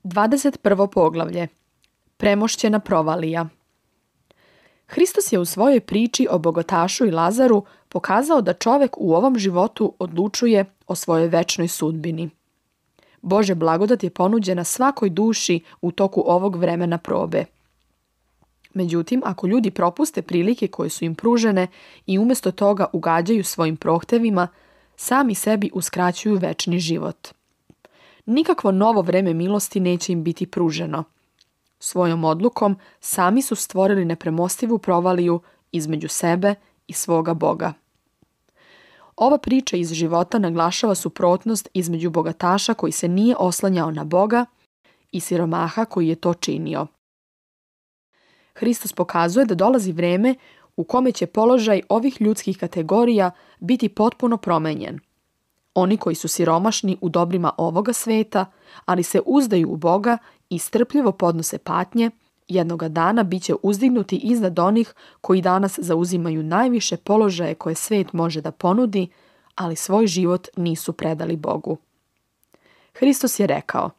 21. poglavlje. Premošćena provalija. Hristos je u svojoj priči o bogatašu i Lazaru pokazao da čovek u ovom životu odlučuje o svojoj večnoj sudbini. Božja blagodat je ponuđena svakoj duši u toku ovog vremena probe. Međutim, ako ljudi propuste prilike koje su im pružene i umjesto toga ugađaju svojim prohtevima, sami sebi uskraćuju večni život. Nikakvo novo vreme milosti neće im biti pruženo. Svojom odlukom sami su stvorili nepremostivu provaliju između sebe i svoga Boga. Ova priča iz života naglašava suprotnost između bogataša koji se nije oslanjao na Boga i siromaha koji je to činio. Hristos pokazuje da dolazi vreme u kome će položaj ovih ljudskih kategorija biti potpuno promenjen. Oni koji su siromašni u dobrima ovoga sveta, ali se uzdaju u Boga i strpljivo podnose patnje, jednoga dana bit će uzdignuti iznad onih koji danas zauzimaju najviše položaje koje svet može da ponudi, ali svoj život nisu predali Bogu. Hristos je rekao: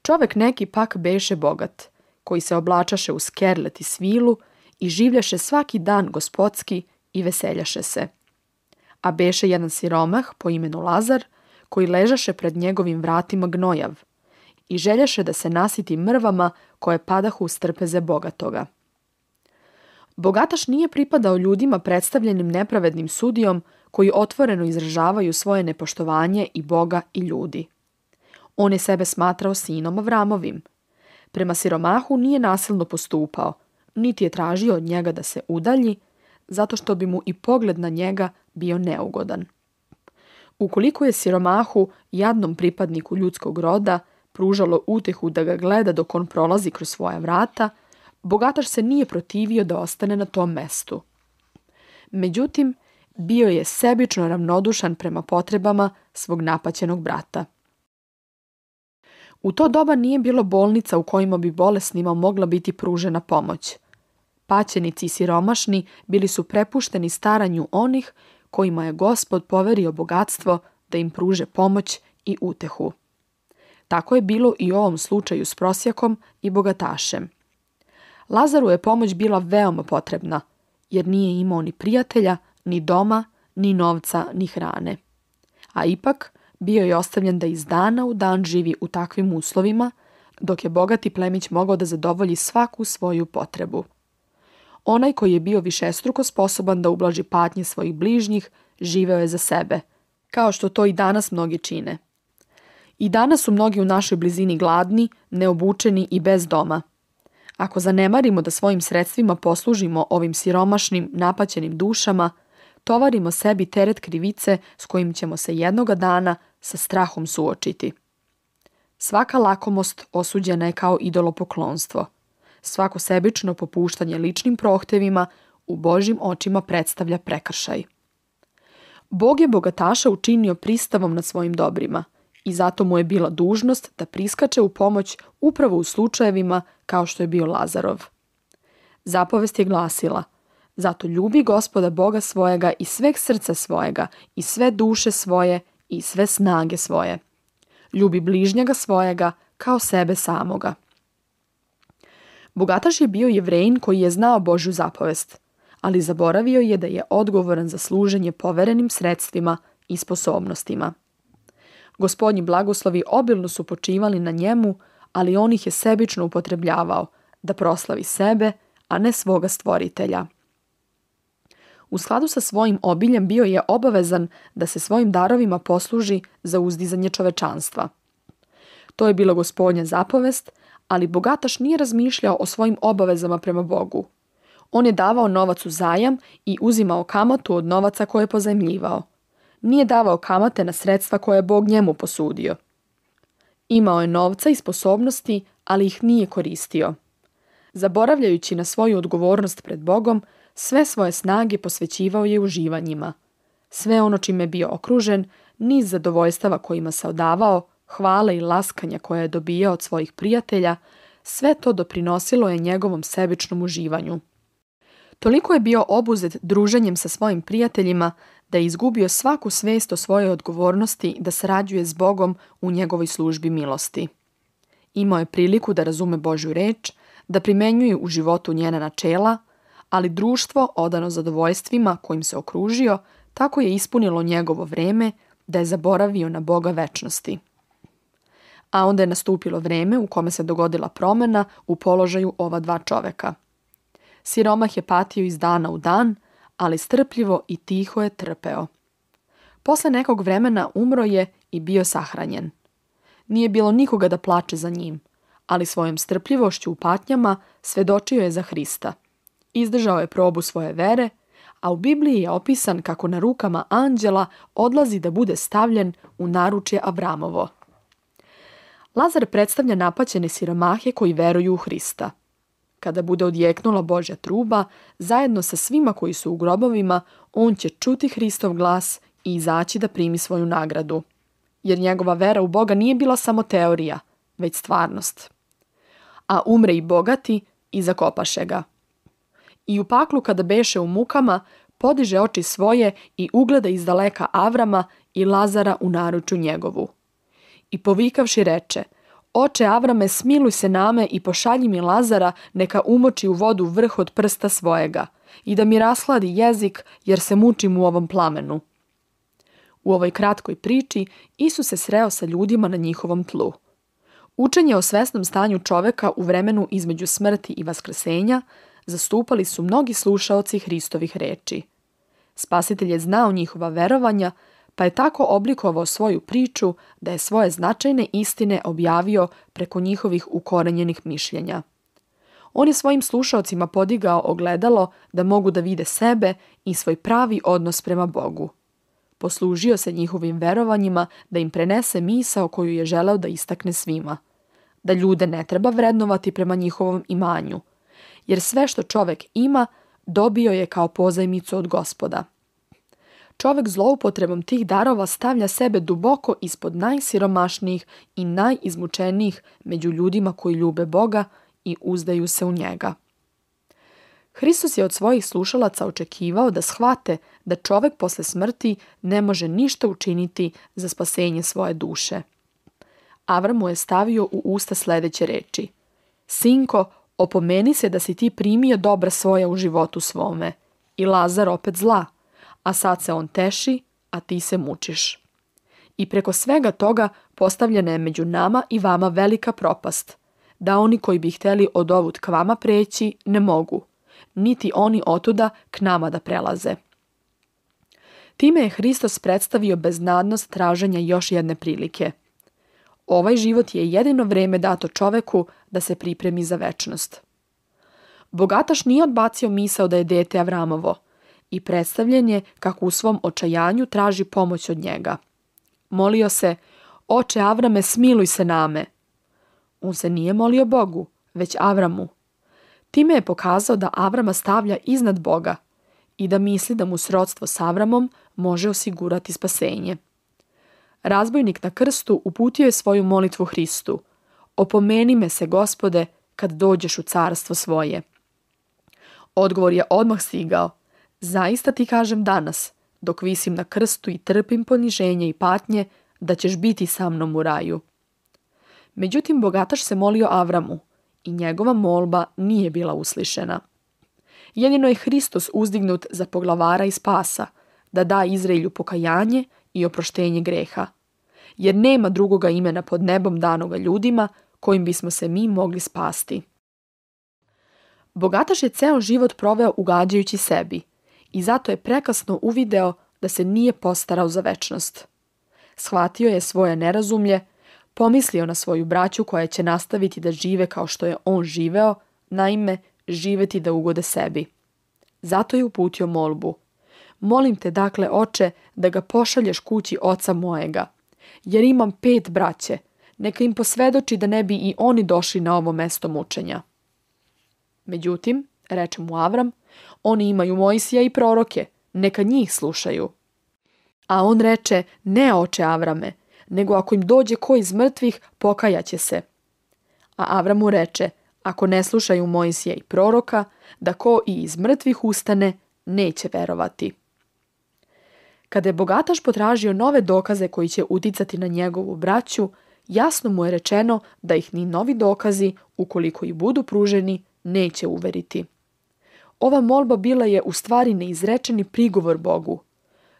čovek neki pak beše bogat, koji se oblačaše u skerlet i svilu i življaše svaki dan gospodski i veseljaše se. A beše jedan siromah po imenu Lazar, koji ležaše pred njegovim vratima gnojav i željaše da se nasiti mrvama koje padahu s trpeze bogatoga. Bogataš nije pripadao ljudima predstavljenim nepravednim sudijom koji otvoreno izražavaju svoje nepoštovanje i Boga i ljudi. On je sebe smatrao sinom Avramovim. Prema siromahu nije nasilno postupao, niti je tražio od njega da se udalji, zato što bi mu i pogled na njega bio neugodan. Ukoliko je siromahu, jadnom pripadniku ljudskog roda, pružalo utehu da ga gleda dok on prolazi kroz svoja vrata, bogataš se nije protivio da ostane na tom mestu. Međutim, bio je sebično ravnodušan prema potrebama svog napaćenog brata. U to doba nije bilo bolnica u kojima bi bolesnima mogla biti pružena pomoć. Paćenici i siromašni bili su prepušteni staranju onih kojima je Gospod poverio bogatstvo da im pruže pomoć i utehu. Tako je bilo i u ovom slučaju s prosjakom i bogatašem. Lazaru je pomoć bila veoma potrebna, jer nije imao ni prijatelja, ni doma, ni novca, ni hrane. A ipak bio je ostavljen da iz dana u dan živi u takvim uslovima, dok je bogati plemić mogao da zadovolji svaku svoju potrebu. Onaj koji je bio višestruko sposoban da ublaži patnje svojih bližnjih, živeo je za sebe, kao što to i danas mnogi čine. I danas su mnogi u našoj blizini gladni, neobučeni i bez doma. Ako zanemarimo da svojim sredstvima poslužimo ovim siromašnim, napaćenim dušama, tovarimo sebi teret krivice s kojim ćemo se jednoga dana sa strahom suočiti. Svaka lakomost osuđena je kao idolopoklonstvo. Svako sebično popuštanje ličnim prohtevima u Božjim očima predstavlja prekršaj. Bog je bogataša učinio pristavom nad svojim dobrima i zato mu je bila dužnost da priskače u pomoć upravo u slučajevima kao što je bio Lazarov. Zapovest je glasila: zato ljubi Gospoda Boga svojega i sveg srca svojega i sve duše svoje i sve snage svoje. Ljubi bližnjega svojega kao sebe samoga. Bogataš je bio Jevrejin koji je znao Božju zapovest, ali zaboravio je da je odgovoran za služenje poverenim sredstvima i sposobnostima. Gospodnji blagoslovi obilno su počivali na njemu, ali on ih je sebično upotrebljavao da proslavi sebe, a ne svoga stvoritelja. U skladu sa svojim obiljem bio je obavezan da se svojim darovima posluži za uzdizanje čovečanstva. To je bila Gospodnja zapovest, ali bogataš nije razmišljao o svojim obavezama prema Bogu. On je davao novac u zajam i uzimao kamatu od novaca koje je pozajmljivao. Nije davao kamate na sredstva koje je Bog njemu posudio. Imao je novca i sposobnosti, ali ih nije koristio. Zaboravljajući na svoju odgovornost pred Bogom, sve svoje snage posvećivao je uživanjima. Sve ono čime je bio okružen, niz zadovoljstava kojima se odavao, hvale i laskanja koje je dobijao od svojih prijatelja, sve to doprinosilo je njegovom sebičnom uživanju. Toliko je bio obuzet druženjem sa svojim prijateljima da je izgubio svaku svest o svojoj odgovornosti da sarađuje s Bogom u njegovoj službi milosti. Imao je priliku da razume Božju reč, da primenjuje u životu njena načela, ali društvo, odano zadovoljstvima kojim se okružio, tako je ispunilo njegovo vreme da je zaboravio na Boga večnosti. A onda je nastupilo vreme u kome se dogodila promjena u položaju ova dva čoveka. Siromah je patio iz dana u dan, ali strpljivo i tiho je trpeo. Posle nekog vremena umro je i bio sahranjen. Nije bilo nikoga da plače za njim, ali svojom strpljivošću u patnjama svedočio je za Hrista. Izdržao je probu svoje vere, a u Bibliji je opisan kako na rukama anđela odlazi da bude stavljen u naručje Avramovo. Lazar predstavlja napaćene siromahe koji veruju u Hrista. Kada bude odjeknula Božja truba, zajedno sa svima koji su u grobovima, on će čuti Hristov glas i izaći da primi svoju nagradu. Jer njegova vera u Boga nije bila samo teorija, već stvarnost. A umre i bogati i zakopaše ga. I u paklu kada beše u mukama, podiže oči svoje i ugleda izdaleka Avrama i Lazara u naručju njegovu. I povikavši reče: Oče Avrame, smiluj se name i pošalji mi Lazara, neka umoči u vodu vrh od prsta svojega i da mi rashladi jezik, jer se mučim u ovom plamenu. U ovoj kratkoj priči Isus se sreo sa ljudima na njihovom tlu. Učenje o svesnom stanju čoveka u vremenu između smrti i vaskrsenja zastupali su mnogi slušaoci Hristovih reči. Spasitelj je znao njihova verovanja, pa je tako oblikovao svoju priču da je svoje značajne istine objavio preko njihovih ukorenjenih mišljenja. On je svojim slušaocima podigao ogledalo da mogu da vide sebe i svoj pravi odnos prema Bogu. Poslužio se njihovim verovanjima da im prenese misao koju je želeo da istakne svima. Da ljude ne treba vrednovati prema njihovom imanju, jer sve što čovek ima dobio je kao pozajmicu od Gospoda. Čovek zloupotrebom tih darova stavlja sebe duboko ispod najsiromašnijih i najizmučenijih među ljudima koji ljube Boga i uzdaju se u njega. Hristos je od svojih slušalaca očekivao da shvate da čovek posle smrti ne može ništa učiniti za spasenje svoje duše. Avram mu je stavio u usta sledeće reči: Sinko, opomeni se da si ti primio dobra svoja u životu svome, i Lazar opet zla, a sad se on teši, a ti se mučiš. I preko svega toga postavljena je među nama i vama velika propast, da oni koji bi hteli od ovud k vama preći ne mogu, niti oni otuda k nama da prelaze. Time je Hristos predstavio beznadnost traženja još jedne prilike. Ovaj život je jedino vreme dato čoveku da se pripremi za večnost. Bogataš nije odbacio misao da je dete Avramovo i predstavljen je kako u svom očajanju traži pomoć od njega. Molio se: Oče Avrame, smiluj se name. On se nije molio Bogu, već Avramu. Time je pokazao da Avrama stavlja iznad Boga i da misli da mu srodstvo s Avramom može osigurati spasenje. Razbojnik na krstu uputio je svoju molitvu Hristu: Opomeni me se, Gospode, kad dođeš u carstvo svoje. Odgovor je odmah stigao: Zaista ti kažem danas, dok visim na krstu i trpim poniženje i patnje, da ćeš biti sa mnom u raju. Međutim, bogataš se molio Avramu i njegova molba nije bila uslišena. Jedino je Hristos uzdignut za poglavara i spasa, da da Izraelju pokajanje i oproštenje greha, jer nema drugoga imena pod nebom danoga ljudima kojim bismo se mi mogli spasti. Bogataš je ceo život proveo ugađajući sebi i zato je prekasno uvideo da se nije postarao za večnost. Shvatio je svoje nerazumlje, pomislio na svoju braću koja će nastaviti da žive kao što je on živeo, naime, živeti da ugode sebi. Zato je uputio molbu: Molim te dakle, Oče, da ga pošalješ kući oca mojega, jer imam 5 braće, neka im posvedoči da ne bi i oni došli na ovo mesto mučenja. Međutim, reče mu Avram, oni imaju Mojsija i proroke, neka njih slušaju. A on reče: Ne, oče Avrame, nego ako im dođe ko iz mrtvih, pokajaće se. A Avram mu reče: Ako ne slušaju Mojsija i proroka, da ko i iz mrtvih ustane, neće verovati. Kada je bogataš potražio nove dokaze koji će uticati na njegovu braću, jasno mu je rečeno da ih ni novi dokazi, ukoliko i budu pruženi, neće uveriti. Ova molba bila je u stvari neizrečeni prigovor Bogu.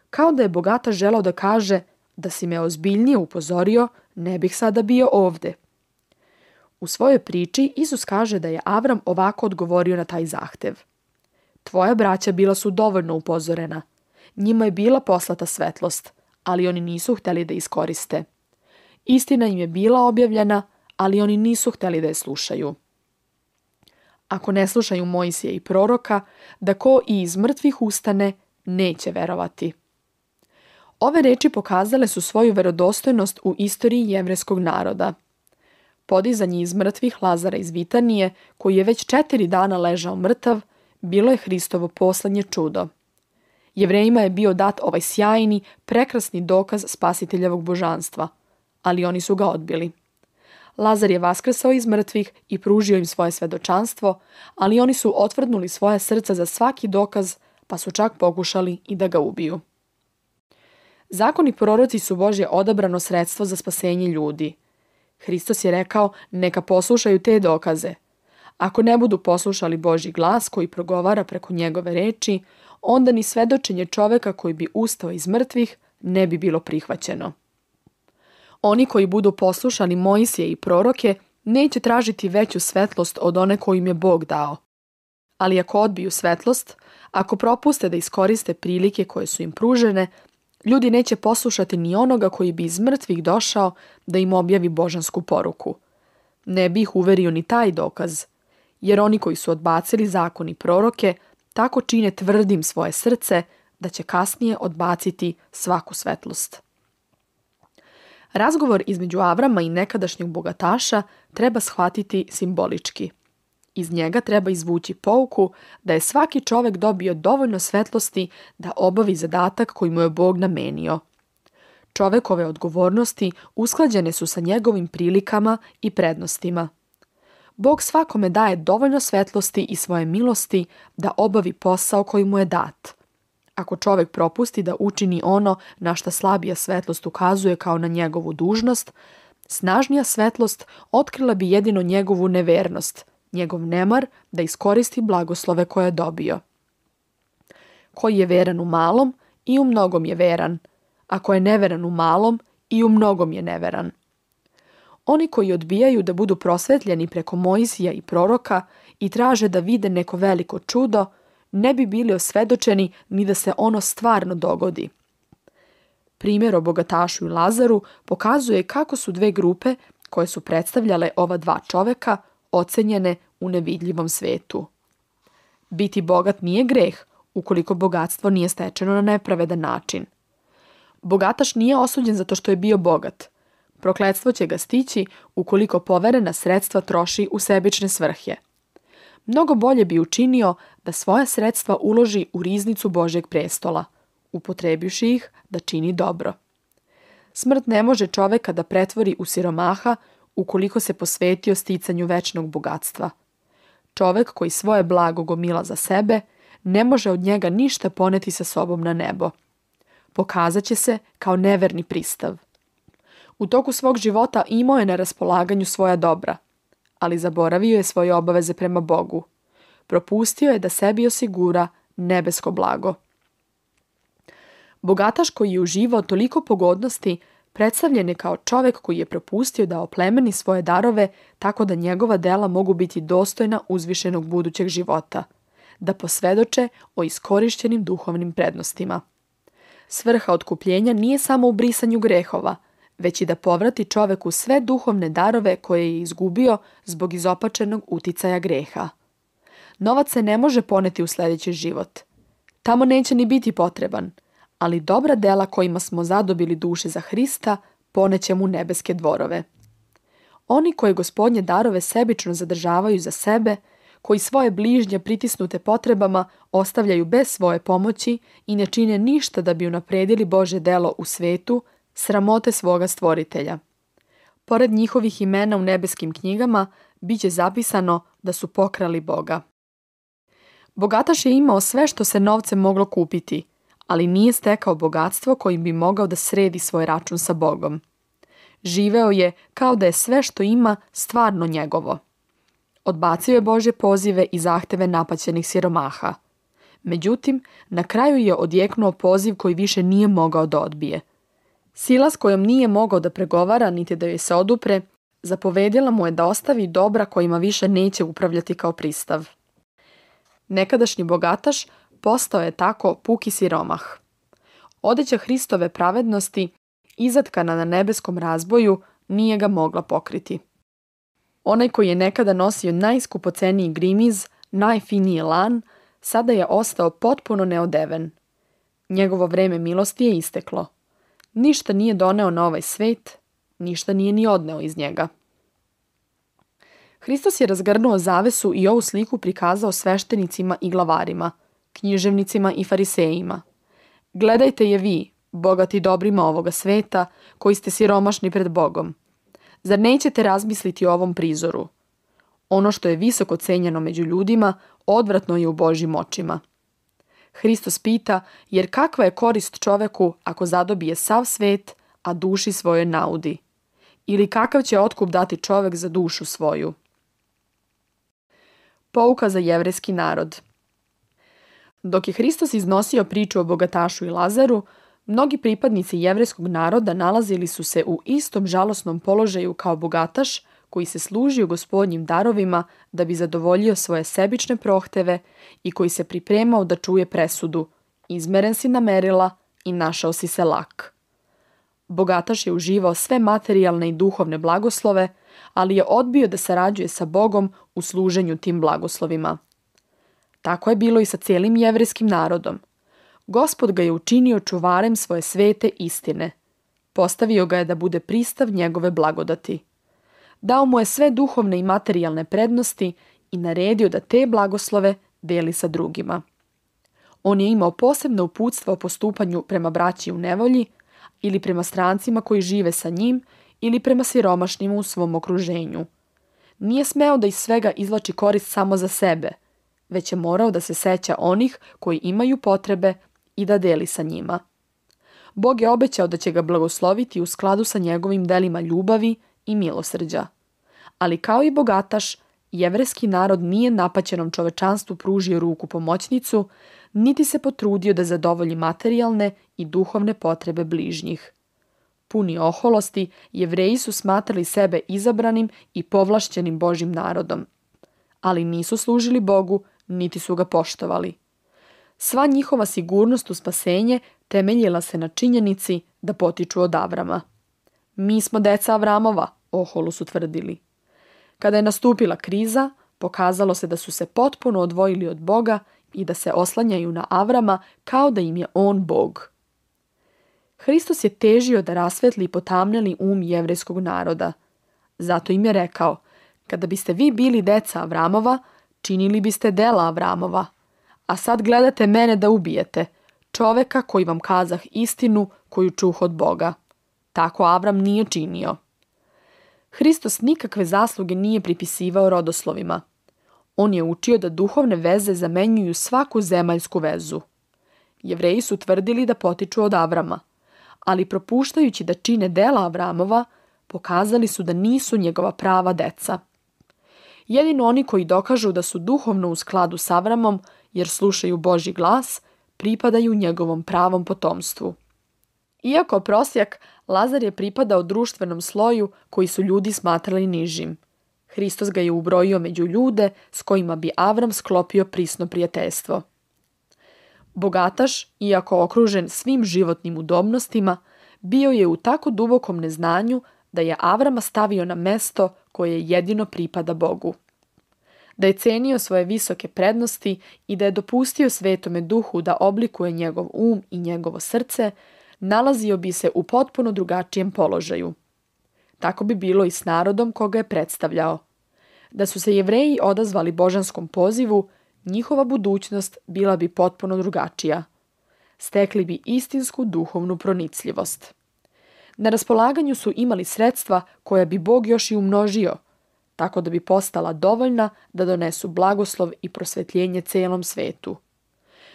Kao da je bogataš želeo da kaže: da si me ozbiljnije upozorio, ne bih sada bio ovde. U svojoj priči Isus kaže da je Avram ovako odgovorio na taj zahtev. Tvoja braća bila su dovoljno upozorena. Njima je bila poslata svetlost, ali oni nisu hteli da iskoriste. Istina im je bila objavljena, ali oni nisu hteli da je slušaju. Ako ne slušaju Mojsija i proroka, da ko i iz mrtvih ustane, neće verovati. Ove reči pokazale su svoju verodostojnost u istoriji jevrejskog naroda. Podizanje iz mrtvih Lazara iz Vitanije, koji je već 4 dana ležao mrtav, bilo je Hristovo poslednje čudo. Jevrejima je bio dat ovaj sjajni, prekrasni dokaz spasiteljevog božanstva, ali oni su ga odbili. Lazar je vaskrsao iz mrtvih i pružio im svoje svedočanstvo, ali oni su otvrdnuli svoje srca za svaki dokaz, pa su čak pokušali i da ga ubiju. Zakon i proroci su Božje odabrano sredstvo za spasenje ljudi. Hristos je rekao: neka poslušaju te dokaze. Ako ne budu poslušali Božji glas koji progovara preko njegove reči, onda ni svedočenje čoveka koji bi ustao iz mrtvih ne bi bilo prihvaćeno. Oni koji budu poslušali Mojsije i proroke neće tražiti veću svetlost od one koju im je Bog dao. Ali ako odbiju svetlost, ako propuste da iskoriste prilike koje su im pružene, ljudi neće poslušati ni onoga koji bi iz mrtvih došao da im objavi božansku poruku. Ne bi ih uverio ni taj dokaz, jer oni koji su odbacili zakon i proroke tako čine tvrdim svoje srce da će kasnije odbaciti svaku svetlost. Razgovor između Avrama i nekadašnjeg bogataša treba shvatiti simbolički. Iz njega treba izvući pouku da je svaki čovek dobio dovoljno svetlosti da obavi zadatak koji mu je Bog namenio. Čovekove odgovornosti usklađene su sa njegovim prilikama i prednostima. Bog svakome daje dovoljno svetlosti i svoje milosti da obavi posao koji mu je dat. Ako čovek propusti da učini ono na šta slabija svetlost ukazuje kao na njegovu dužnost, snažnija svetlost otkrila bi jedino njegovu nevernost, njegov nemar da iskoristi blagoslove koje je dobio. Koji je veran u malom, i u mnogom je veran. Ako je neveran u malom, i u mnogom je neveran. Oni koji odbijaju da budu prosvetljeni preko Mojsija i proroka i traže da vide neko veliko čudo, ne bi bili osvedočeni ni da se ono stvarno dogodi. Primjer o bogatašu i Lazaru pokazuje kako su dve grupe, koje su predstavljale ova dva čoveka, ocenjene u nevidljivom svetu. Biti bogat nije greh, ukoliko bogatstvo nije stečeno na nepravedan način. Bogataš nije osuđen zato što je bio bogat. Prokletstvo će ga stići ukoliko poverena sredstva troši u sebične svrhe. Mnogo bolje bi učinio da svoja sredstva uloži u riznicu Božjeg prestola, upotrebivši ih da čini dobro. Smrt ne može čoveka da pretvori u siromaha ukoliko se posvetio sticanju večnog bogatstva. Čovek koji svoje blago gomila za sebe ne može od njega ništa poneti sa sobom na nebo. Pokazat će se kao neverni pristav. U toku svog života imao je na raspolaganju svoja dobra, ali zaboravio je svoje obaveze prema Bogu. Propustio je da sebi osigura nebesko blago. Bogataš koji je uživao toliko pogodnosti predstavljen je kao čovek koji je propustio da oplemeni svoje darove tako da njegova dela mogu biti dostojna uzvišenog budućeg života, da posvedoče o iskorišćenim duhovnim prednostima. Svrha otkupljenja nije samo u brisanju grehova, već i da povrati čoveku sve duhovne darove koje je izgubio zbog izopačenog uticaja greha. Novac se ne može poneti u sljedeći život. Tamo neće ni biti potreban, ali dobra dela kojima smo zadobili duše za Hrista poneće mu nebeske dvorove. Oni koji Gospodnje darove sebično zadržavaju za sebe, koji svoje bližnje pritisnute potrebama ostavljaju bez svoje pomoći i ne čine ništa da bi unapredili Božje delo u svetu, sramote svoga stvoritelja. Pored njihovih imena u nebeskim knjigama bit će zapisano da su pokrali Boga. Bogataš je imao sve što se novcem moglo kupiti, ali nije stekao bogatstvo kojim bi mogao da sredi svoj račun sa Bogom. Živeo je kao da je sve što ima stvarno njegovo. Odbacio je Božje pozive i zahteve napaćenih siromaha. Međutim, na kraju je odjeknuo poziv koji više nije mogao da odbije. Sila s kojom nije mogao da pregovara niti da joj se odupre, zapovedila mu je da ostavi dobra kojima više neće upravljati kao pristav. Nekadašnji bogataš postao je tako puki siromah. Odeća Hristove pravednosti, izatkana na nebeskom razboju, nije ga mogla pokriti. Onaj koji je nekada nosio najskupoceniji grimiz, najfiniji lan, sada je ostao potpuno neodeven. Njegovo vreme milosti je isteklo. Ništa nije doneo na ovaj svet, ništa nije ni odneo iz njega. Hristos je razgrnuo zavesu i ovu sliku prikazao sveštenicima i glavarima, književnicima i farisejima. Gledajte je vi, bogati dobrima ovoga sveta, koji ste siromašni pred Bogom. Zar nećete razmisliti o ovom prizoru? Ono što je visoko cenjeno među ljudima, odvratno je u Božjim očima. Hristos pita, jer kakva je korist čoveku ako zadobije sav svet, a duši svojoj naudi? Ili kakav će otkup dati čovek za dušu svoju? Pouka za jevrejski narod. Dok je Hristos iznosio priču o bogatašu i Lazaru, mnogi pripadnici jevrejskog naroda nalazili su se u istom žalosnom položaju kao bogataš koji se služio Gospodnjim darovima da bi zadovoljio svoje sebične prohteve i koji se pripremao da čuje presudu: izmeren si na merila i našao si se lak. Bogataš je uživao sve materijalne i duhovne blagoslove, ali je odbio da sarađuje sa Bogom u služenju tim blagoslovima. Tako je bilo i sa cijelim jevrejskim narodom. Gospod ga je učinio čuvarem svoje svete istine. Postavio ga je da bude pristav njegove blagodati. Dao mu je sve duhovne i materijalne prednosti i naredio da te blagoslove deli sa drugima. On je imao posebno uputstvo o postupanju prema braći u nevolji ili prema strancima koji žive sa njim ili prema siromašnima u svom okruženju. Nije smeo da iz svega izvlači korist samo za sebe, već je morao da se seća onih koji imaju potrebe i da deli sa njima. Bog je obećao da će ga blagosloviti u skladu sa njegovim delima ljubavi i milosrđa. Ali kao i bogataš, jevrejski narod nije napaćenom čovečanstvu pružio ruku pomoćnicu, niti se potrudio da zadovolji materijalne i duhovne potrebe bližnjih. Puni oholosti, Jevreji su smatrali sebe izabranim i povlašćenim Božjim narodom. Ali nisu služili Bogu, niti su ga poštovali. Sva njihova sigurnost u spasenje temeljila se na činjenici da potiču od Avrama. Mi smo deca Avramova, oholu su tvrdili. Kada je nastupila kriza, pokazalo se da su se potpuno odvojili od Boga i da se oslanjaju na Avrama kao da im je on Bog. Hristos je težio da rasvetli potamnjeli jevrejskog naroda. Zato im je rekao: kada biste vi bili deca Avramova, činili biste dela Avramova. A sad gledate mene da ubijete, čoveka koji vam kazah istinu koju čuh od Boga. Tako Avram nije činio. Hristos nikakve zasluge nije pripisivao rodoslovima. On je učio da duhovne veze zamenjuju svaku zemaljsku vezu. Jevreji su tvrdili da potiču od Avrama, ali propuštajući da čine dela Avramova, pokazali su da nisu njegova prava deca. Jedino oni koji dokažu da su duhovno u skladu s Avramom, jer slušaju Božji glas, pripadaju njegovom pravom potomstvu. Iako prosjak, Lazar je pripadao društvenom sloju koji su ljudi smatrali nižim. Hristos ga je ubrojio među ljude s kojima bi Avram sklopio prisno prijateljstvo. Bogataš, iako okružen svim životnim udobnostima, bio je u tako dubokom neznanju da je Avrama stavio na mesto koje jedino pripada Bogu. Da je cenio svoje visoke prednosti i da je dopustio Svetome Duhu da oblikuje njegov i njegovo srce, nalazio bi se u potpuno drugačijem položaju. Tako bi bilo i s narodom koga je predstavljao. Da su se Jevreji odazvali božanskom pozivu, njihova budućnost bila bi potpuno drugačija. Stekli bi istinsku duhovnu pronicljivost. Na raspolaganju su imali sredstva koja bi Bog još i umnožio, tako da bi postala dovoljna da donesu blagoslov i prosvetljenje celom svetu.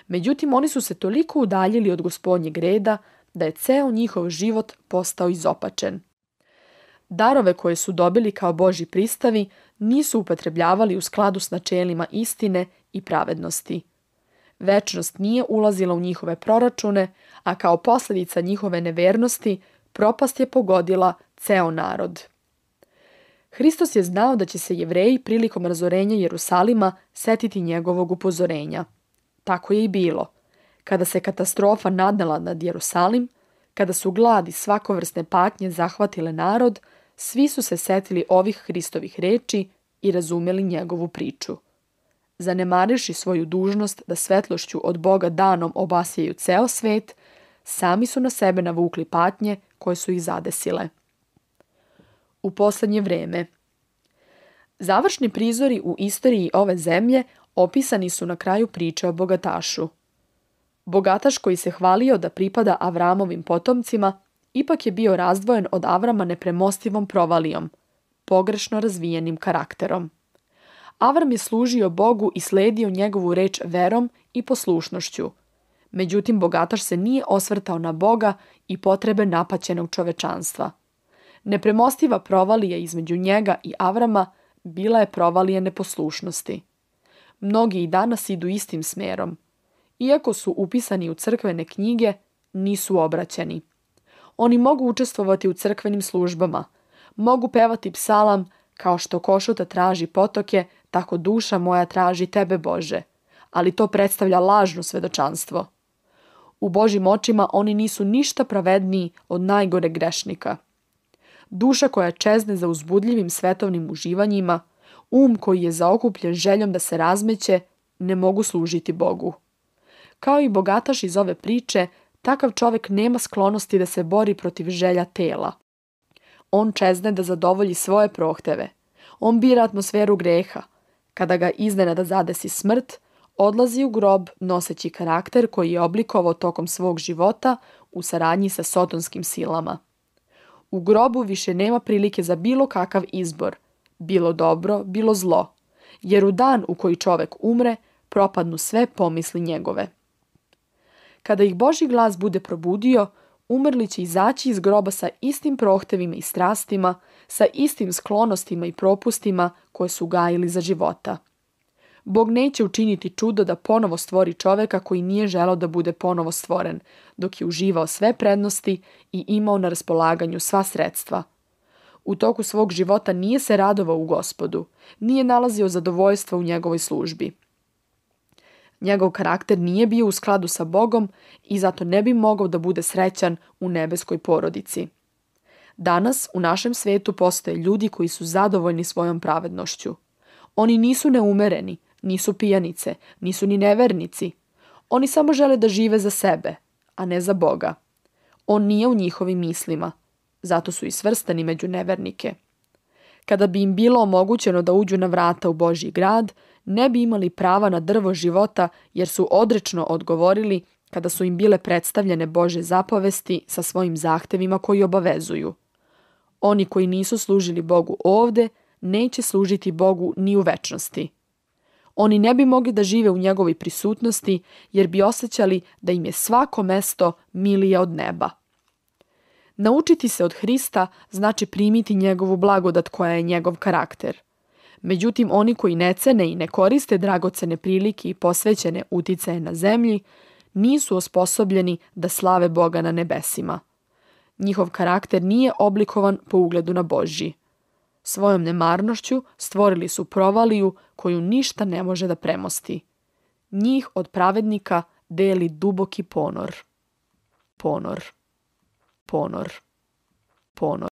Međutim, oni su se toliko udaljili od Gospodnjeg reda da je ceo njihov život postao izopačen. Darove koje su dobili kao Božji pristavi nisu upotrebljavali u skladu s načelima istine i pravednosti. Večnost nije ulazila u njihove proračune, a kao posljedica njihove nevernosti propast je pogodila ceo narod. Hristos je znao da će se Jevreji prilikom razorenja Jerusalima setiti njegovog upozorenja. Tako je i bilo. Kada se katastrofa nadnela nad Jerusalim, kada su glad i svakovrsne patnje zahvatile narod, svi su se setili ovih Hristovih reči i razumeli njegovu priču. Zanemariši svoju dužnost da svetlošću od Boga danom obasjaju ceo svet, sami su na sebe navukli patnje koje su ih zadesile. U posljednje vreme. Završni prizori u istoriji ove zemlje opisani su na kraju priče o bogatašu. Bogataš koji se hvalio da pripada Avramovim potomcima, ipak je bio razdvojen od Avrama nepremostivom provalijom, pogrešno razvijenim karakterom. Avram je služio Bogu i sledio njegovu reč verom i poslušnošću. Međutim, bogataš se nije osvrtao na Boga i potrebe napaćenog čovečanstva. Nepremostiva provalija između njega i Avrama bila je provalija neposlušnosti. Mnogi i danas idu istim smerom. Iako su upisani u crkvene knjige, nisu obraćeni. Oni mogu učestvovati u crkvenim službama, mogu pevati psalam kao što košuta traži potoke, tako duša moja traži tebe, Bože, ali to predstavlja lažno svedočanstvo. U Božjim očima oni nisu ništa pravedniji od najgore grešnika. Duša koja čezne za uzbudljivim svetovnim uživanjima, koji je zaokupljen željom da se razmeće, ne mogu služiti Bogu. Kao i bogataš iz ove priče, takav čovjek nema sklonosti da se bori protiv želja tela. On čezne da zadovolji svoje prohteve. On bira atmosferu greha. Kada ga iznenada zadesi smrt, odlazi u grob noseći karakter koji je oblikovao tokom svog života u saradnji sa sotonskim silama. U grobu više nema prilike za bilo kakav izbor, bilo dobro, bilo zlo, jer u dan u koji čovjek umre, propadnu sve pomisli njegove. Kada ih Božji glas bude probudio, umrli će izaći iz groba sa istim prohtevima i strastima, sa istim sklonostima i propustima koje su gajili za života. Bog neće učiniti čudo da ponovo stvori čovjeka koji nije želeo da bude ponovo stvoren, dok je uživao sve prednosti i imao na raspolaganju sva sredstva. U toku svog života nije se radovao u Gospodu, nije nalazio zadovoljstva u njegovoj službi. Njegov karakter nije bio u skladu sa Bogom i zato ne bi mogao da bude srećan u nebeskoj porodici. Danas u našem svetu postoje ljudi koji su zadovoljni svojom pravednošću. Oni nisu neumereni, nisu pijanice, nisu ni nevernici. Oni samo žele da žive za sebe, a ne za Boga. On nije u njihovim mislima, zato su i svrstani među nevernike. Kada bi im bilo omogućeno da uđu na vrata u Božji grad, ne bi imali prava na drvo života jer su odrečno odgovorili kada su im bile predstavljene Božje zapovesti sa svojim zahtevima koji obavezuju. Oni koji nisu služili Bogu ovde, neće služiti Bogu ni u večnosti. Oni ne bi mogli da žive u njegovoj prisutnosti jer bi osjećali da im je svako mesto milije od neba. Naučiti se od Hrista znači primiti njegovu blagodat koja je njegov karakter. Međutim, oni koji ne cene i ne koriste dragocene prilike i posvećene uticaje na zemlji, nisu osposobljeni da slave Boga na nebesima. Njihov karakter nije oblikovan po ugledu na Božji. Svojom nemarnošću stvorili su provaliju koju ništa ne može da premosti. Njih od pravednika deli duboki ponor. Ponor. Ponor. Ponor.